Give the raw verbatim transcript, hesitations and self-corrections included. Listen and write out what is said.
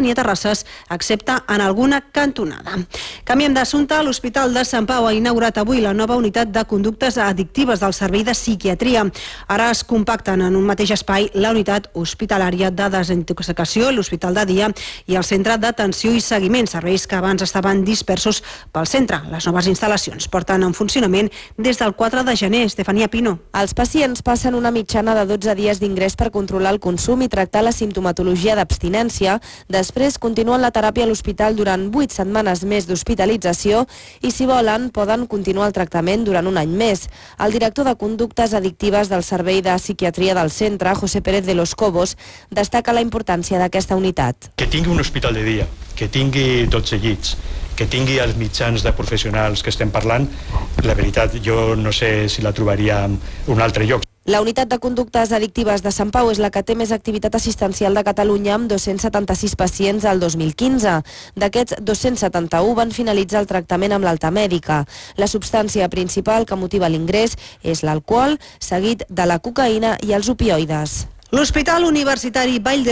ni a terrasses, excepte en alguna cantonada. Canviem d'assumpte. L'Hospital de Sant Pau ha inaugurat avui la nova unitat de conductes addictives del Servei de Psiquiatria. Ara es compacten en un mateix espai la unitat hospitalària de desintoxicació, l'Hospital de Dia i el Centre d'Atenció i Seguiment, serveis que abans estaven dispersos pel centre. Les noves instal·lacions porten en funcionament des del quatre de gener. Estefania Pino. Els pacients passen una mitjana de dotze dies d'ingrés per controlar el consum i tractar la simptomatologia d'abstinència. Després continuen la teràpia a l'hospital durant vuit setmanes més d'hospitalització i, si volen, poden continuar el tractament durant un any més. El director de conductes addictives del Servei de Psiquiatria del centre, José Pérez de los Cobos, destaca la importància d'aquesta unitat. Que tingui un hospital de dia, que tingui dotze llits, que tingui els mitjans de professionals que estem parlant, la veritat, jo no sé si la trobaria en un altre lloc. La unitat de conductes addictives de Sant Pau és la que té més activitat assistencial de Catalunya, amb dos-cents setanta-sis pacients al dos mil quinze. D'aquests, dos-cents setanta-u van finalitzar el tractament amb l'alta mèdica. La substància principal que motiva l'ingrés és l'alcohol, seguit de la cocaïna i els opioides. L'Hospital Universitari Vall d'Hebron